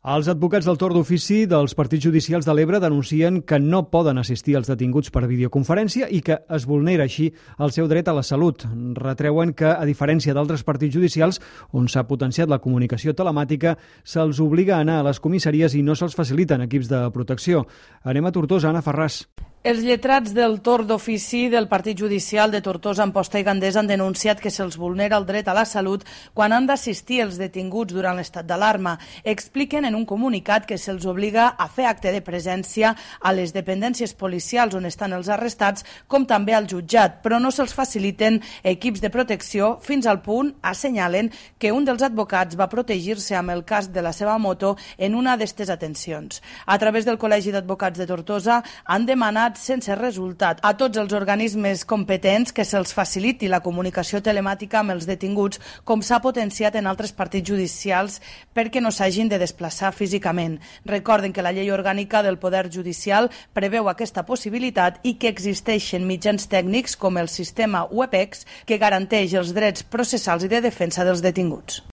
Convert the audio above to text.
Els advocats del torn d'ofici dels partits judicials de l'Ebre denuncien que no poden assistir als detinguts per videoconferència i que es vulnera així el seu dret a la salut. Retreuen que, a diferència d'altres partits judicials, on s'ha potenciat la comunicació telemàtica, se'ls obliga a anar a les comissaries i no se'ls faciliten equips de protecció. Anem a Tortosa, Anna Ferràs. Els lletrats del torn d'ofici del Partit Judicial de Tortosa, Amposta i Gandés han denunciat que se'ls vulnera el dret a la salut quan han d'assistir els detinguts durant l'estat d'alarma. Expliquen en un comunicat que se'ls obliga a fer acte de presència a les dependències policials on estan els arrestats, com també al jutjat, però no se'ls faciliten equips de protecció fins al punt, assenyalen, que un dels advocats va protegir-se amb el casc de la seva moto en una d'estes atencions. A través del Col·legi d'Advocats de Tortosa han demanat sense resultat a tots els organismes competents que se'ls faciliti la comunicació telemàtica amb els detinguts, com s'ha potenciat en altres partits judicials, perquè no s'hagin de desplaçar físicament. Recorden que la llei orgànica del Poder Judicial preveu aquesta possibilitat i que existeixen mitjans tècnics com el sistema WebEx que garanteix els drets processals i de defensa dels detinguts.